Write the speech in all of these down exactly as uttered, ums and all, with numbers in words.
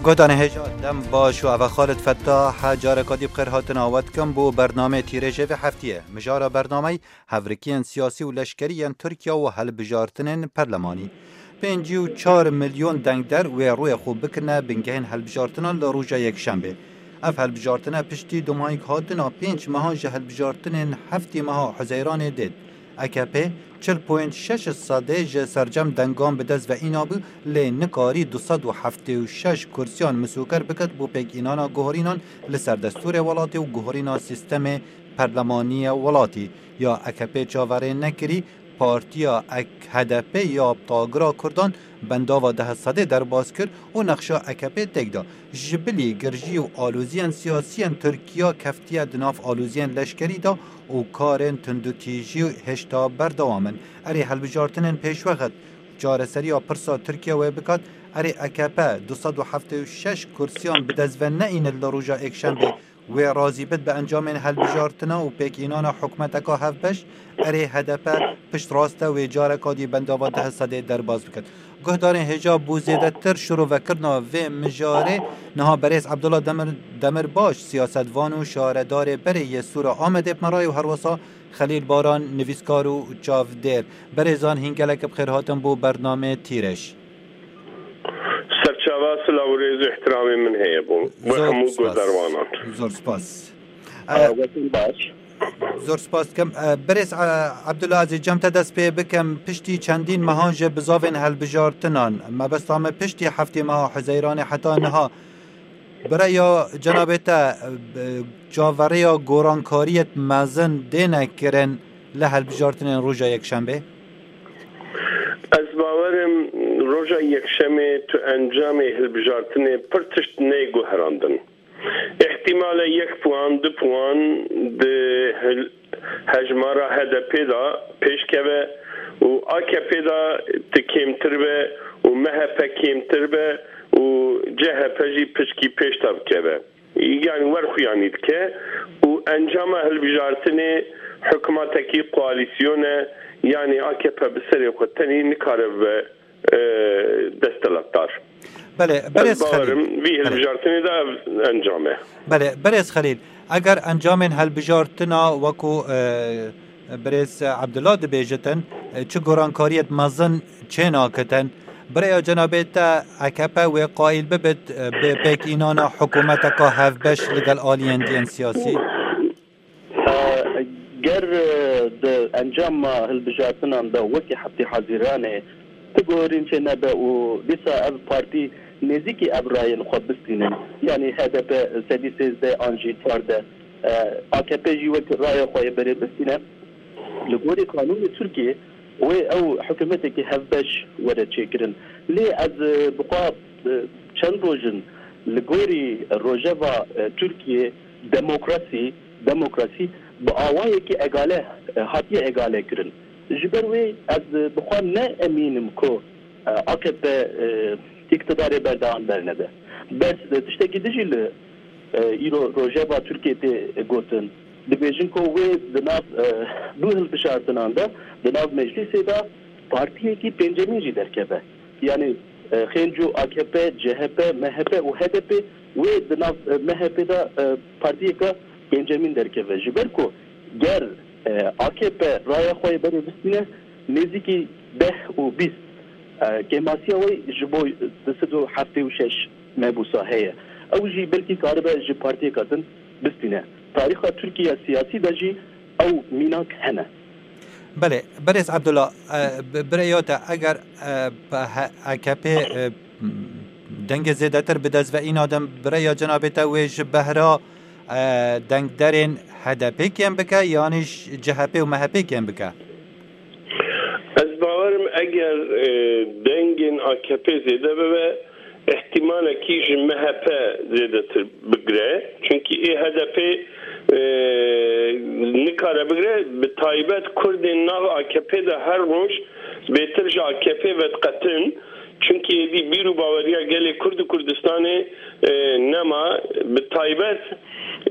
Guhdarên hêja, dem baş û eva Xalid Fettah, careka dî bi xêr hatina we dikim bo bernameyê Tîrêjê vê heftiyê. Mijara bernameyê hevrikiyên siyasî û leşkerî yên Tirkiye û hilbijartinên perlemanî. Pêncî û çar milyon dengder wê rûyê xwe bikirine bingehên hilbijartinan li roja Yekşembê. Ev hilbijartine piştî dumahîk hatina pênc mehan ji hilbijartinên heftê meha Huzeyranê dêt. A K P çil point şeş sedê ji sercem dengan bi dest ve îna bû, lê nikarî du sed û heftê û şeş kursiyan misûker biket bo pêkînana guherînan li ser destûrê welatê û guherîna sîstemê perlemaniyê welatî. Ya A K P çaverê nekirî, partiya H D P ya tagira Kurdan bendava deh sedê derbas kir û nexşa A K P têk da. Ji bilî girjî û aloziyên siyasiyên Tirkiye keftiye di nav aloziyên leşkerî de û karên tundûtîjî hêşta berdewam in. Erê hilbijartinên pêşwext çareseriya pirsa Tirkiye wê bikat, erê A K P du sed û heftê û şeş kursiyan bi dest ve neîne li roja Êkşembê, wê razî bit bi encamên hilbijartina û pêkînana hikûmeteka hevbeş, erê H D P piştrast e, wê careka dî bendava deh sedê derbas biket. Guhdarên hêja, bo zêdetir şirovekirina vê mijarê niha berêz Abdullah Demir, Demirbaş, siyasetvan û şaredarê berê yê Sûra Amedê bi me re ye û herwesa Xelîl Baran, nivîskar û çavdêr. Berêzan, hîn gelek bi xêr hatin bo bernameyê Tîrêj. Serçava silav û rêz û ihtiramê min heye bo we Zor hemû spas. Guhdarwanan. Zor spas. Aa, E, wetin baş. Zor spas dikim. E, Birêz, e, Abdullah Azîz, cem te dest pê bikim. Piştî çendîn mehan ji bizavên hilbijartinan, mebesta me piştî heftê meha Huzeyranê heta niha, bi raya cenabê te, e, çaverêya gorankariyet mezin dêne kirin li hilbijartinên roja Yekşembê? Ez bawer im roja Yekşemê tu encamê hilbijartinê pir tişt neyê guherandin. Îhtimale yek puan, du puan di hil-, hejmara H D P de pêş keve û A K P de ti kêmtir be û M H P kêmtir be û C H P jî piçkî pêş de bikeve. Yanî werxuyanî dike û encama hilbijartinê hikûmetekî koalîsyone, yanî A K P bi serê xwe tenî nikare bibe, e, desthilatdar. Belê, Ez berêz bawerim Xelîl. Vî Belê. Hilbijartinê de ev encam e. Belê, berêz Xelîl, eger encamên hilbijartina wekû, e, birêz Abdullah dibêjitin, e, çi gorankariyet mezin çênakitin, bi raya cenabê te A K P wê qayîl bibit, e, bi pêkînana hikûmeteka hevbeş li gel aliyên diyên siyasî? E, ger, e, di encama hilbijartinan de wekî heftê Hezîranê ti guherîn çê nebe û dîsa ev partî nêzîkî ev rayên xwe bistînin, yanî H D P sedî sêzdeh an jî çardeh, e, A K P jî wek raya xwe yê berê bistîne, li gorî qanûnê Tirkiyê wê ew hikûmetekî hevbeş were çêkirin. Lê ez, e, bi xwe, e, çend roj in li gorî rojeva, e, Tirkiyê demokrasî, demokrasî bi awayekî egale, e, hatiye egale kirin. Ji ber wê ez, e, bi xwe ne emîn im ku, e, A K P, e, îktidarê berdewam bernede. Bes, e, tiştekî din jî li, e, îro rojeva Tirkiyê tê gotin. Dibêjin ku wê di nav, e, du hilbijartinan de, di nav meclîsê de partiyekî pêncemîn jî derkeve. Yanî, e, xênco A K P, C H P, M H P û H D P wê di nav, e, M H P de, e, partiyeke pêncemîn derkeve. Ji ber ku ger, e, A K P raya xwe yê berê bistîne, nêzîkî deh û bîst, e, kêmasiya wê ji bo du sed û heftê û şeş mebûsa heye. Ew jî belkî karibe ji partiyeka din bistîne. Tarîxa Tirkiye siyasî de jî ew mînak hene. Belê, berêz Abdullah, e, bi-, bi rêya te, eger, e, pe-, he-, A K P, e, dengê zêdetir bi dest ve îna din, bi rêya cenabê te wê ji behra, e, dengderên H D P kêm bike, yanî ji C H P û M H P kêm bike? Ez bawer im eger, e, dengên A K P zêde bibe, îhtimalekî ji M H P zêdetir bigire. Çunkî ê H D P, e, nikare bigire. Bi taybet Kurdên nav A K P de her roj bêtir ji A K P vediqetin. Çunkî êdî bîr û baweriya gelê Kurd û Kurdistanê, e, nema. Bi taybet,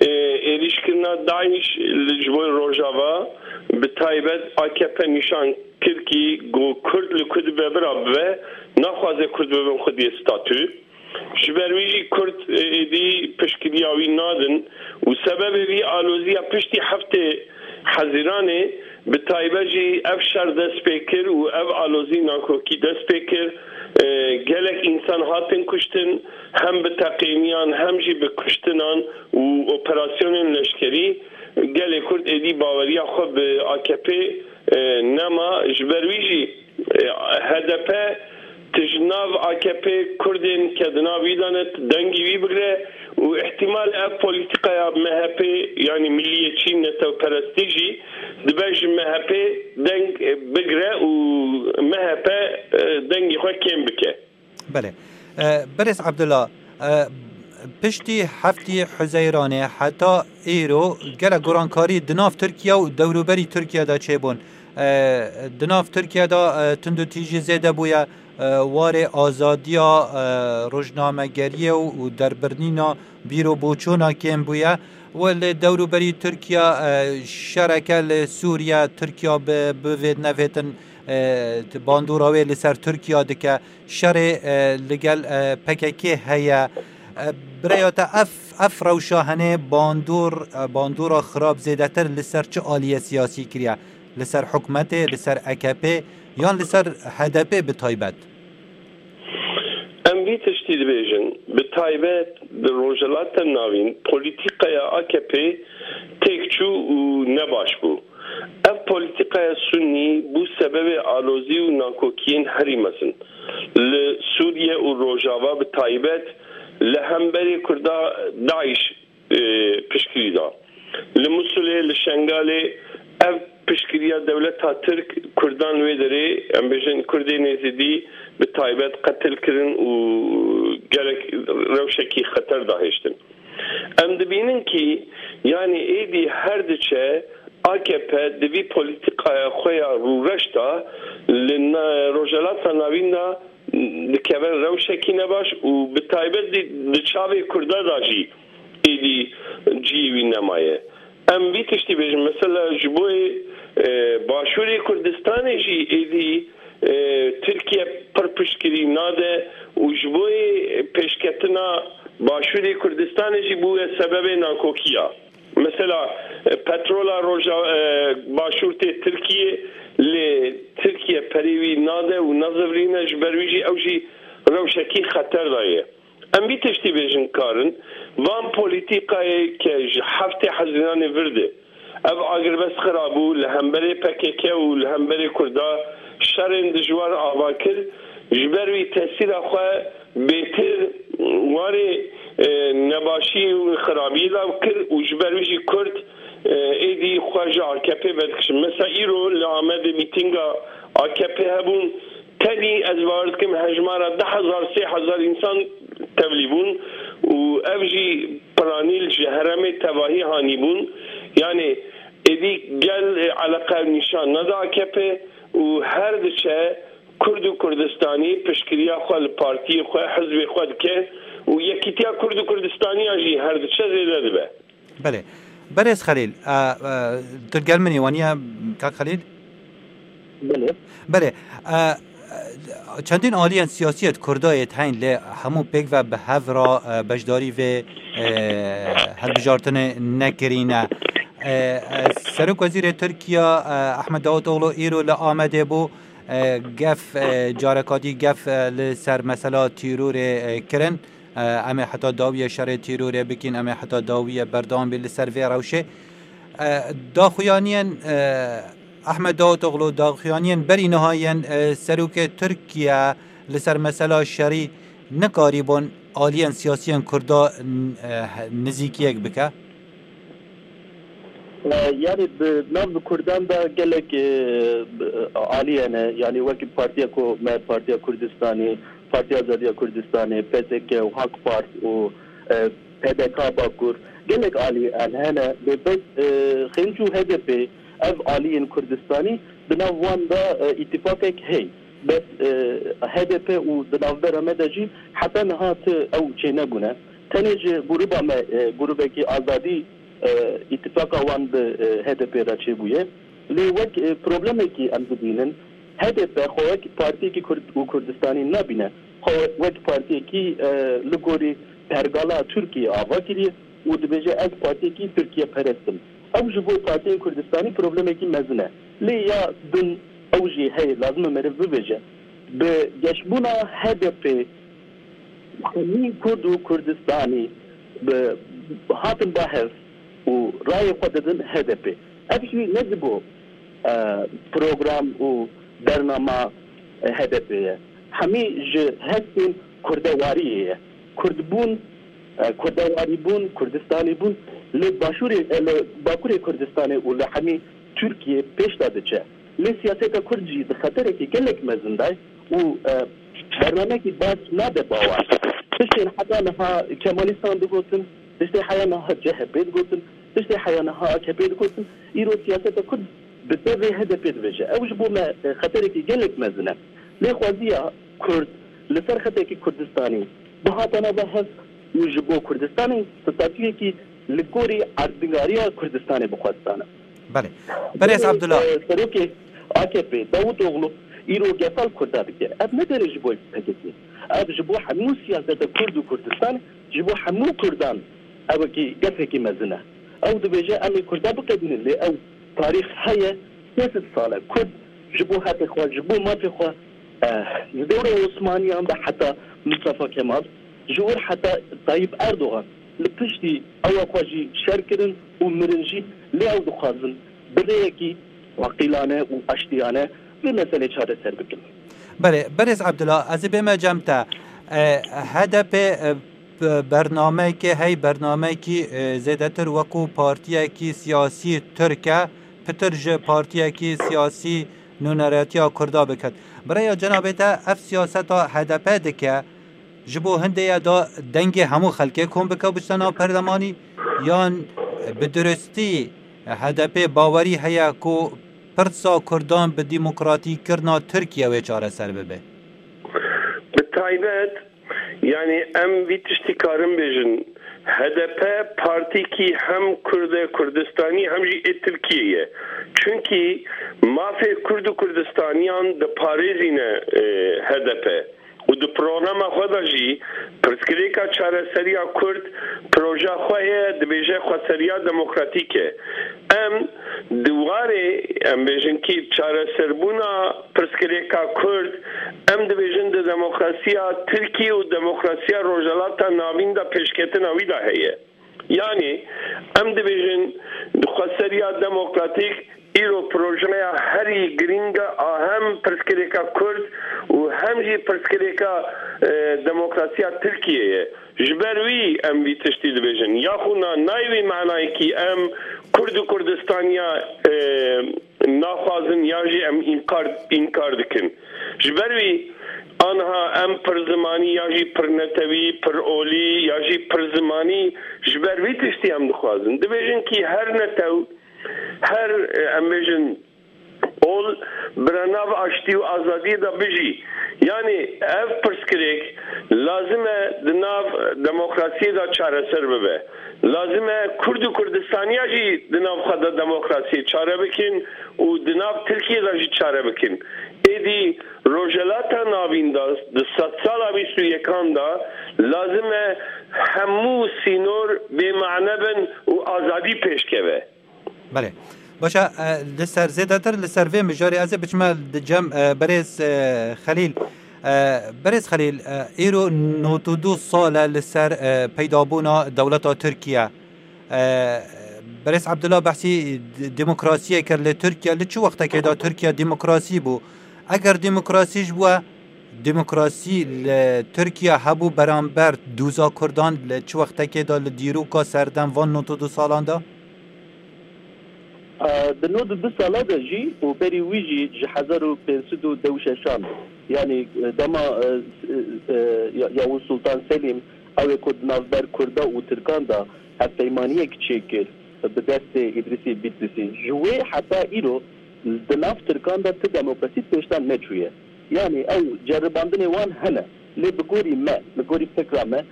e, êrîşkirina DAIŞ li, ji bo Rojava, bi taybet A K P nîşan kir kî ku Kurd li ku dibe bira bibe, naxwaze Kurd bibin xwediyê statû. Ji ber wî jî Kurd, e, êdî piştgiriya wî nadin û sebebê vî aloziya piştî heftê Hezîranê, bi taybet jî ev şer dest pê kir û ev alozî nakokî dest pê kir. E, gelek însan hatin kuştin, hem bi teqîniyan hem jî bi kuştinan û operasyonên leşkerî. Gelê Kurd êdî baweriya xwe bi A K P, e, nema. Ji ber wî jî, e, H D P tij nav A K P Kurdên ke di nav wî de ne dengî wî bigre û îhtîmal ev polîtîkaya M H P, yanî milliyetçî, netewperestî jî dibe ji M H P deng bigre û M H P, e, dengê xwe kêm bike. Belê. E, Berêz Abdullah, e, piştî heftê Huzeyranê heta îro gelek gorankarî di nav Tirkiye û dewrûberî Tirkiye de çêbûn. E, di nav Tirkiye de, e, tundûtîjî zêde bûye, e, warê azadiya, e, rojnamegeriyê û, û derbirnîna bîr û boçûna kêm bûye. Û li dewrûberî Tirkiye, e, şereke li Sûriye, Tirkiye bi, bivêt nevêtin, e, bandora wê li ser Tirkiye dike. Şerê, e, li gel, e, P K K heye. E, bi rêya te ev, ev rewşa henê bandor, e, bandora xirab zêdetir li ser çi aliyê siyasî kiriye? Li ser hikûmetê, li ser A K P yan li ser H D P bi taybet? Em vî tiştî dibêjin, bi taybet di Rojhilata Navîn polîtîkaya A K P têk çû û nebaş bû. Ev polîtîkaya Sunnî bû sebebê alozî û nakokiyên herî mezin li Sûriye û Rojava, bi taybet li hemberê Kurda DAIŞ, e, piştgirî da. Li Musulê, li Şengalê ev piştgiriya dewleta Tirk Kurdan wê derê, em bêjin Kurdên Êzidî bi taybet qetil kirin û gelek rewşekî xeter dahêştin. Em dibînin kî, yanî êdî her diçe A K P di vî polîtîkaya xwe ya rûreş de li na-, Rojhelata Navîn de dikeve rewşekî nebaş û bi taybet di, di çavê Kurda de jî êdî cihê wî nemaye. Em vî tiştî bêjin, mesela ji bo yê, e, Başûrê Kurdistanê jî êdî, e, Tirkiye pir piştgirî nade û ji bo yê pêşketina Başûrê Kurdistanê jî bûye sebebê nakokiya. Mesela, e, petrola roja, e, başûr tê Tirkiyê, lê Tirkiye perê wî nade û nazivirîne, ji ber wî jî ew jî rewşekî xeter de ye. Em vî tiştî bêjin karin, van polîtîkayê ke ji heftê Hezîranê vir de ev agirbest xira bû, li hemberê P K K û li hemberê Kurda şerên dijwar ava kir, ji ber wî tesîra xwe bêtir warê, e, nebaşî û xirabiyê de kir û ji ber wî jî Kurd, e, êdî xwe ji A K P vedikişin. Mesela îro li Amedê mîtînga A K P hebûn, tenî ez bawer dikim hejmara du hezar, sê hezar însan tevlî bûn û ev jî piranî li ji herêmê tevahî hanî bûn. Yanî êdî gel, e, eleqe nîşan neda A K P û her diçe Kurd û Kurdistanî piştgiriya xwe li partiyê xwe, hizbê xwe dike û yekîtiya Kurd û Kurdistaniya jî her diçe zêde dibe. Belê. Berêz Xelîl, e, e, tu gel min î waniye, Kak Xelîl? Belê. Belê. E, e, çendîn aliyên siyasî yê Kurda yê heyn lê hemû pêk ve bi hev re, e, beşdarî vê, e, hilbijartinê nekirîne. E, e, Serok Wezîrê Tirkiye, e, Ahmed Davutoğlu îro li Amedê bû. E, gef, e, careka dî gef, e, li ser mesela tîrorê, e, kirin. E, em ê heta dawiyê şerê tîrorê bikîn, em ê heta dawiyê berdewam bî li ser vê rewşê. E, daxuyaniyên, e, Ahmed Davutoğlu, daxuyaniyên berî niha yên, e, serokê Tirkiye li ser mesela şerî nikarîbûn aliyên siyasiyên Kurda, e, nizîkiyek bike? E, yanî bi nav bi Kurdan de gelek, e, aliyê ne, yanî wekî partiya ku me, Partiya Kurdistanê, Partiya Azadiya Kurdistanê, P S K û Hak Part û, e, P D K Bakur, gelek aliyên hene, lê bes, e, Xênc û H D P, ev aliyên Kurdistanî di nav wan de, e, îtîfaqek heye. Bes, e, H D P û di navbera me de jî heta niha ti ew çênebûne. Tenê ji grûba me, e, grûbekî azadî, e, îtîfaqa wan bi, e, H D P re çêbûye. Lê wek, e, problemekî em dibînin, H D P xwe wek partiyekî Kurd û Kurdistanî nabîne. wek partiyekî, e, li gorî pergala Tirkiyê ava kiriye û dibêje, ez partiyekî Tirkiye perest im. Ew ji bo partiyên Kurdistanî problemekî mezin e. Lê ya din ew jî heye, lazim e meriv bibêje. Bi geşbûna H D P, hemî Kurd û Kurdistanî bi, hatin ba hev û rayê xwe didin H D P. Ev jî ne ji bo, e, program û bernama, e, H D P ye. Hemî ji hestên kurdewariyê ye. Kurdbûn, e, kurdewarîbûn, Kurdistanîbûn li başûrê, e, li bakurê Kurdistanê û li hemî Tirkiyê pêş de diçe. Lê siyaseta Kurd jî di xeterekî gelek mezin de ye û, e, bernamekî baş nade bawer. Tiştên heta niha Kemalîstan digotin, tiştê heya niha C H P digotin, tiştê heya niha A K P digotin, îro siyaseta Kurd bi devê H D P dibêje. Ew ji bo me, e, xeterekî gelek mezin e. Lê xweziya Kurd li ser xetekî Kurdistanî bihata nava hev û ji bo Kurdistanê statûyekî li gorî erdnîgariya Kurdistanê bixwestane. Belê. Berêz Abdullah. E, serokê A K P, Davutoglu, îro gefa li Kurda dike. Ev ne derê ji bo P K K. Ev ji bo hemû siyaseta Kurd û Kurdistan, ji bo hemû Kurdan evekî gefekî mezin e. Ew dibêje, em ê Kurda biqedînin, lê ew tarîx heye, sê sed sal e. Kurd ji bo heqê xwe, ji bo mafê xwe, e, ji dewra Osmaniyan de heta Mustafa Kemal, ji wir heta Tayyip Erdogan li piştî ewa xwe jî şer kirin û mirin jî, lê ew dixwazin bi rêyekî aqîlane û aştiyane vê meselê çareser bikin. Belê, Berêz Abdullah, ez ê bême cem te. E, H D P, e, b-, bernameyekê hey, bernameyekî, e, zêdetir wekû partiyekî siyasî Tirk e, pitir ji partiyekî siyasî nûneratiya Kurda biket. Bi rêya cenabê te ev siyaseta H D P dike, ji bo hindê ye da dengê hemû xelkê kom bike biçte nav perlemanî, yan bi durustî H D P bawerî heye ku pirsa Kurdan bi demokratîkirina Tirkiye wê çareser bibe? Bi taybet, yanî em vî tiştî karin bêjin, H D P partîkî hem Kurd e, Kurdistanî hem jî ê Tirkiyê ye. Çunkî mafê Kurd û Kurdistaniyan diparêzîne, e, H D P. Û di programa xwe de jî pirsgirêka çareseriya Kurd proja xwe heye, dibêje xweseriya demokratîk e. Em di warê, em bêjin kî çareserbûna pirsgirêka Kurd, em dibêjin di demokrasiya Tirkî û demokrasiya Rojhelata Navîn de pêşketina wî de heye. Yanî em dibêjin xweseriya demokratîk îro projeya herî girîng a hem pirsgirêka Kurd û hem jî pirsgirêka, e, demokrasiya Tirkiyê ye. Ji ber wî em vî tiştî dibêjin. Yaxûna nayê wî manayekî em Kurd û Kurdistaniya, e, naxwazin ya jî em înkar, înkar dikin. Ji ber wî aniha em pir zimanî ya jî pir netewî, pir olî ya jî pir zimanî ji ber vî tiştî em dixwazin. Dibêjin kî her netew, her, e, em bêjin ol bira nav aştî û azadiyê de bijî. Yanî ev pirsgirêk lazim e di nav demokrasiyê de çareser bibe. Lazim e Kurd û Kurdistaniya jî di nav xwe de demokrasiyê çare bikin û di nav Tirkiyê de jî çare bikin. Êdî Rojhelata Navîn de di sedsala bîst û yekan de lazim e hemû sînor bêmane bin û azadî pêşkeve. Belê. Baş e, e, li ser zêdetir, li ser vê mijarê ez ê biçime di cem, e, berêz, e, Xelîl. E, berêz Xelîl, e, îro nod û du sal e li ser, e, peydabûna dewleta Tirkiye. E, berêz Abdullah behsî d-, demokrasiyê kir li Tirkiye. Li çi wextekê de Tirkiye demokrasî bû? Eger demokrasî ji bû, demokrasî li Tirkiye hebû beramber dûza Kurdan li çi wextekê de li dîroka serdem van nod û du salan de? Di nod û du sala de jî û berî wî jî ji hezar û pênc sed û deh û şeşan, yanî, e, dema, e, e, Ya-, Yavuz Sultan Selîm, ew ê ku di navber Kurda û Tirkan de hevpeymaniyek çêkir bi destê Îdrîsê Bîtlîsî. Ji wê heta îro di nav Tirkan de ti demokrasî pêşdan neçûye. Yanî ew ceribandinê wan hene. Lê bi gorî me, bi gorî fikra me,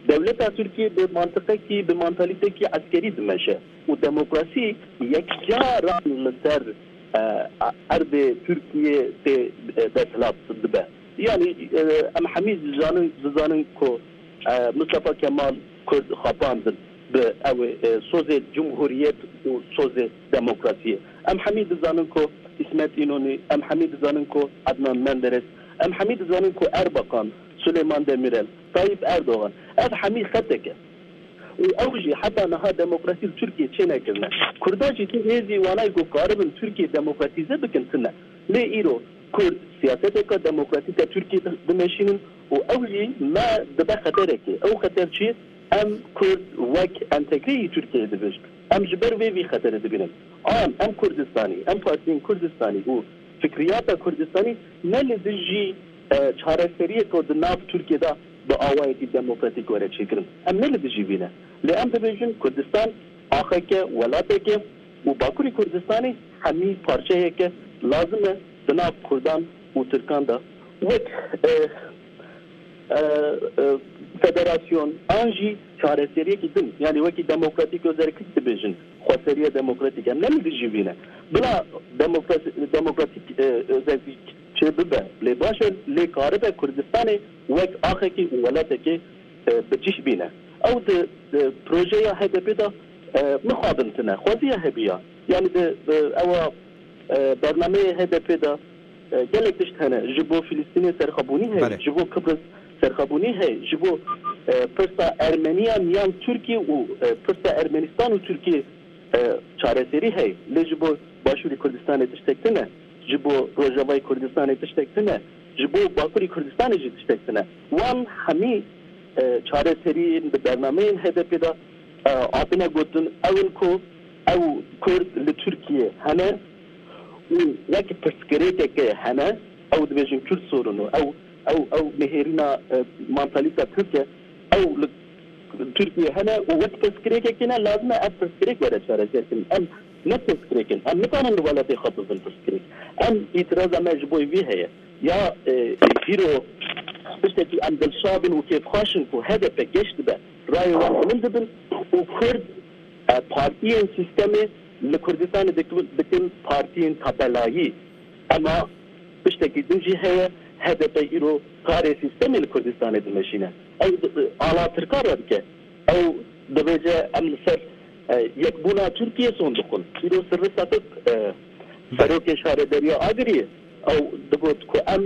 dewleta Tirkiyê bi mantiqekî, bi mantalîtekî eskerî dimeşe û demokrasî yekcaran li ser, e, erdê Tirkiyê tê, e, desthilat dibe. Yanî, e, em hemî dizanin, dizanin ku, e, Mustafa Kemal Kurd xapandin bi ew, e, sozê cumhuriyet û sozê demokrasiyê. Em hemî dizanin ku İsmet İnönü, em hemî dizanin ku Adnan Menderes, em hemî dizanin ku Erbakan, Süleyman Demirel, Tayyip Erdogan. Ev hemî xetek e. Û ew jî heta niha demokrasî li Tirkiyê çênekirine. Kurda jî tu hêzî wanayê ku karibin Tirkiye demokratîze bikin tune. Lê îro Kurd siyaseteke demokratîk a Tirkiyê di-, dimeşînin û ew jî me dibe xeterekê. Ew xeter çi? Em Kurd wek entegreyî Tirkiyeyê dibêjin. Em ji ber vê vî xeterê dibînin. An em Kurdistanî, em partiyên Kurdistanî û fikriyata Kurdistanî ne li dijî, e, çareseriyê ku di nav Tirkiyê de bi awayekî demokratîk were çêkirin. Em ne li dijî vî ne. Lê em dibêjin Kurdistan axeke, welateke û Bakurê Kurdistanê hemî parçeyeke lazim e di nav Kurdan û Tirkan de wek, e, e, e, federasyon an jî çareseriyekî din, yanî wekî demokratîk û zerkik dibêjin, xweseriya demokratîk, em ne li dijî vî ne. Bila demokrasi-, demokratîk, e, özellik çê bibe, lê baş e, lê karibe Kurdistanê wek axekî û welatekî, e, bi cih bîne. Ew di, di projeya H D P de, e, mixabin tine, xweziya hebiya. Yanî di, di ewa, e, bernameyê H D P de, e, gelek tişt hene. Ji bo Filistînê serxwebûnî heye, Belê. ji bo Kibris serxwebûnî heye, ji bo, e, pirsa Ermeniyan yan Tirkî û, e, pirsa Ermenistan û Tirkî, e, çareserî heye. Lê ji bo Başûrê Kurdistanê tiştek tune, ji bo Rojavayê Kurdistanê tiştek tune, ji bo Bakurê Kurdistanê jî tiştek tune. Wan hemî, e, çareseriyên bi bernameyên H D P de, e, hatine gotin, ew in ku ew Kurd li Tirkiye hene û wek pirsgirêkeke hene, ew dibêjin Kürt sorunu, ew, ew, ew nihêrîna, e, mantalîta Tirk e, ew li Tirkiye hene û wek pirsgirêkekê ne, lazim e ev pirsgirêk were çareserkirin. Em ne pirsgirêk in, em nikarin li welatê xwe bibin pirsgirêk. Em îtiraza me ji bo vî heye. Ya, e, îro tiştekî em dilşa bin û kêfxweş in ku H D P geş dibe, rayê wan bilind dibin û Kurd, e, partiyên sîstemê li Kurdistanê dikin, dikin partiyên tabelayî. Ema tiştekî din jî heye, H D P îro karê sîstemê li Kurdistanê dimeşîne. Ew di-, ala Tirkan re dike. Ew dibêje, em li ser, e, yekbûna Tirkiyê son dixwin. Îro sirri setik, e, Belê. serokê şaredariya Agiriyê, ew digot ku em,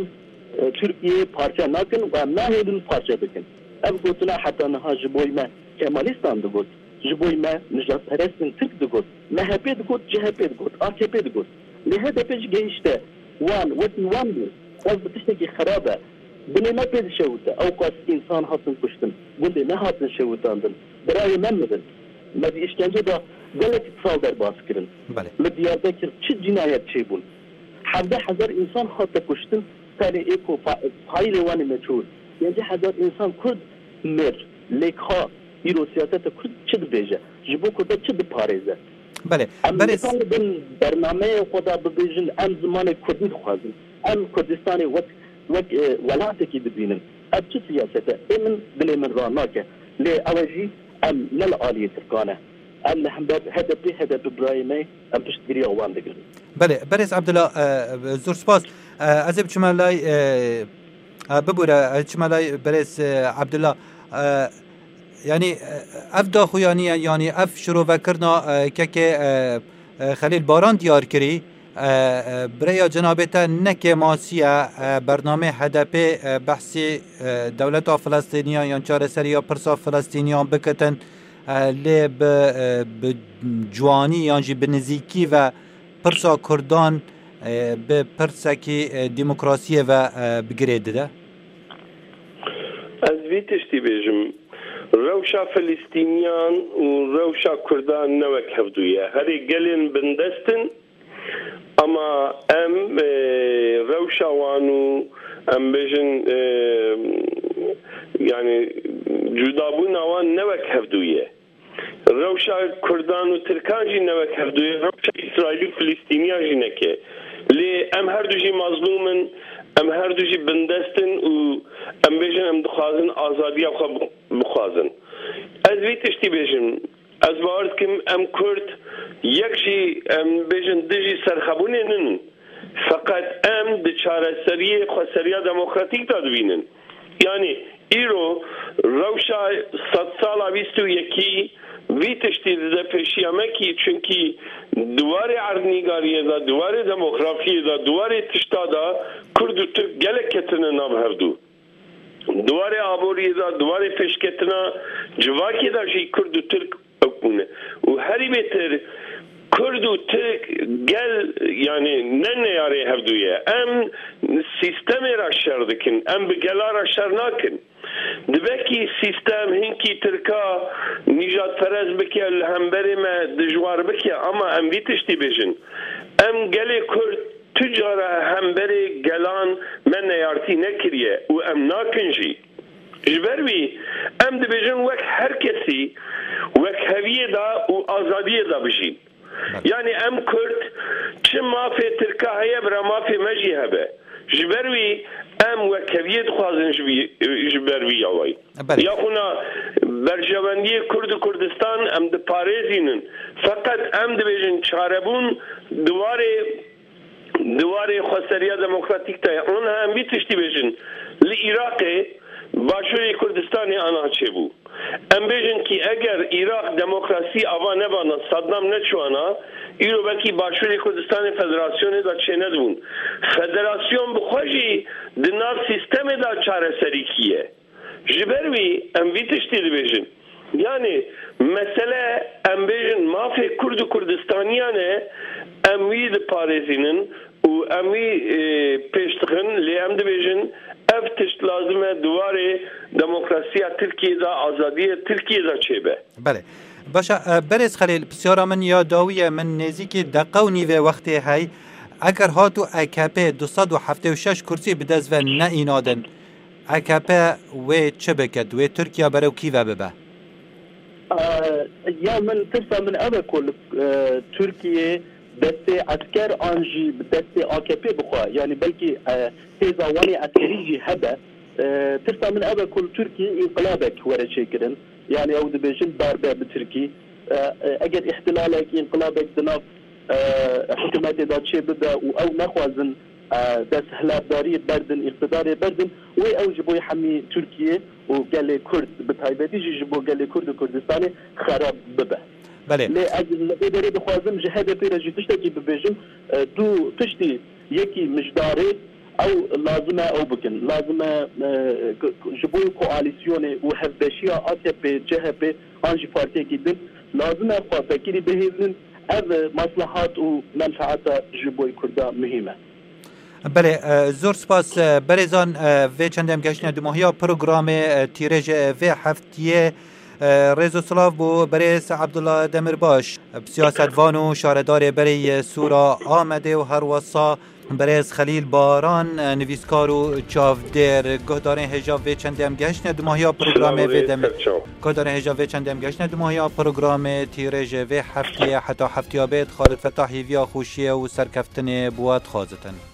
e, Tirkiyeyê parçe nakin û em nahêlin parçe bikin. Ev gotina heta niha ji bo me Kemalîstan digot, ji bo me nijadperestên Tirk digot, M H P digot, C H P digot, A K P digot. Lê H D P jî gehişte wan, wekî wan bû. Ev bi tiştekî xerab e. Binê me pê dişewite. Ew qas însan hatin kuştin. Gundê me hatin şewitandin. Birayê me mirin. Me di îşkence de gelek sal derbas kirin. Belê. Li Diyarbekir çi cînayet çêbûn? Hevdeh hezar însan hate kuştin. Tenê ê ku fa-, faîlê wan ê meçhûl. Pêncî hezar însan Kurd mir. Lê ka îro siyaseta Kurd çi dibêje? Ji bo Kurda çi diparêze? Belê. Em Berêz nikaribin bernameyê xwe de bibêjin, em zimanê Kurdî dixwazin. Em Kurdistanê wek, wek, e, welatekî dibînin. Ev çi siyaset e? Ê min dilê min ranake. Lê ew e jî em ne li aliyê Tirkan e. Em li hember H D P, H D P birayê me ye, em piştgiriya wan digirin. Belê, Berêz Abdullah, e, zor spas. E, ez ê biçime lay, e, e, bibûre, ez çime lay Berêz, e, Abdullah. E, yanî, e, ev daxuyaniye, yanî ev şirovekirina, e, kekê, e, e, Xelîl Baran diyar kirî. E, e, bi rêya cenabê te ne kêmasî ye, e, bernameyê H D P, e, behsî, e, dewleta Filistîniyan yan çareseriya pirsa Filistîniyan bikitin, e, lê bi, e, bi ciwanî yan jî bi nizîkî ve pirsa Kurdan, e, bi pirsekî, e, demokrasiyê ve, e, bi girê dide? Ez vî tiştî bêjim. Rewşa Filistîniyan û rewşa Kurdan ne wek hevdû ye. Herê gelên bindest in, ama em, e, rewşa wan û em bêjin, e, yani cudabûna wan ne wek hevdû ye. Rewşa Kurdan û Tirkan jî ne wek hevdû ye. Rewşa Îsraîlî û Filistîniyan jî neke. Lê em her du jî mazlûm in, em her du jî bindest in û em bêjin em dixwazin azadiya xwe bi-, bixwazin. Ez vî tiştî bêjim. Ez bawer dikim em Kurd yek jî, em bêjin, dijî serxebûnê nin. Feqet em di çareseriyê xweseriya demokratîk de dibînin. Yanî îro rewşa sedsala bîst û yekî vî tiştî dide pêşiya me kî, çunkî di warê erdnîgariyê de, di warê demografiyê de, di warê tişta de Kurd û Tirk gelek ketine nav hevdû. Di warê aboriyê de, di warê pêşketina civakê de jî Kurd û Tirk ewk bûne. Û herî bêtir Kurd û Tirk gel, yanî ne neyarê hevdû ye. Em sîstemê re şer dikin, em bi gela re şer nakin. Dibekî sîstem hinkî Tirka nîjadperest bike, li hemberê me dijwar bike, ama em vî tiştî bêjin. Em gelê Kurd tu cara hemberê gelan me neyartî nekiriye û em nakin jî. Ji ber wî em dibêjin wek her kesî wekheviyê de û azadiyê de bijîn. Yanî em Kurd çi mafê Tirka heye bira mafê me jî hebe. Ji ber wî em wekheviyê dixwazin ji vî, ji ber vî yawayî. Belê. Yaxuna berjewendiyê Kurd û Kurdistan em diparêzînin. Feqet em dibêjin çarebûn di warê, di warê xweseriya demokratîk de ye. Ona em vî tiştî bêjin. Li Iraqê Başûrê Kurdistanê ana çêbû. Em bêjin kî eger Iraq demokrasî ava nebana, Saddam neçûana, îro belkî Başûrê Kurdistanê federasyonê de çênedibûn. Federasyon bi xwe jî di nav sîstemê de çareserîkî ye. Ji ber wî em vî tiştî dibêjin. Yanî mesele em bêjin mafê Kurd û Kurdistaniyan e, em wî diparêzînin û em wî, e, pêş dixin, lê em dibêjin ev tişt lazim e di warê demokrasiya Tirkiyê de, azadiya Tirkiyê de çêbe. Belê. Baş e, e, berêz Xelîl, pisyara min ya dawî ye, min nêzîkî deqe û nîvê wextê hey. Eger hat û A K P du sed û heftê û şeş kursî bi dest ve neînadin, A K P wê çi bike? Wê Tirkiye berew kî ve bibe? Ee, ya min tirsa min ev e ku li, e, Tirkiye destê esker an jî bi destê A K P bixwe, yanî belkî, e, hêza wan ê eskerî jî hebe. E, tirsa min ev e ku li Tirkiye înqilabek were çêkirin. Yanî ew dibêjin darbe bi Tirkî. E, e, eger îhtilalek, înqilabek di nav, e, hikûmetê de çê bibe û ew nexwazin, e, desthilatdariyê berdin, îqtidarê berdin, wê ew ji bo hemî Tirkiye û gelê Kurd, bi taybetî jî ji bo gelê Kurd û Kurdistanê xerab bibe. Belê. Lê ez li vê derê dixwazim ji H D P re jî tiştekî bibêjim, e, du tiştî, yekî mijdarê, ew lazim e ew bikin. Lazim e, e, k-, k-, ji bo koalîsyonê û hevbeşiya A K P, C H P an jî partiyekî din, lazim e xwe fekirî bihêlin. Ev, e, maslahat û menfaeta ji bo Kurda muhîm e. Belê, e, zor spas, e, berêzan, e, vê çendê em geştine dumahiya programê, e, tîrêj, e, vê heftiyê, e, rêz û silav bo berêz Abdullah Demirbaş, e, siyasetvan û şaredarê berê yê Sûra Amedê û herwesa berêz Xelîl Baran, e, nivîskar û çavdêr. Guhdarên hêja vê çendê em geştine dumahiya programê vê demê. Guhdarên hêja vê çendê em geştine dumahiya programê tîrêj vê heftiyê heta heftiya bêt. Xalid Fetah hîviya xweşiyê û serkeftinê bo we dixwazitin.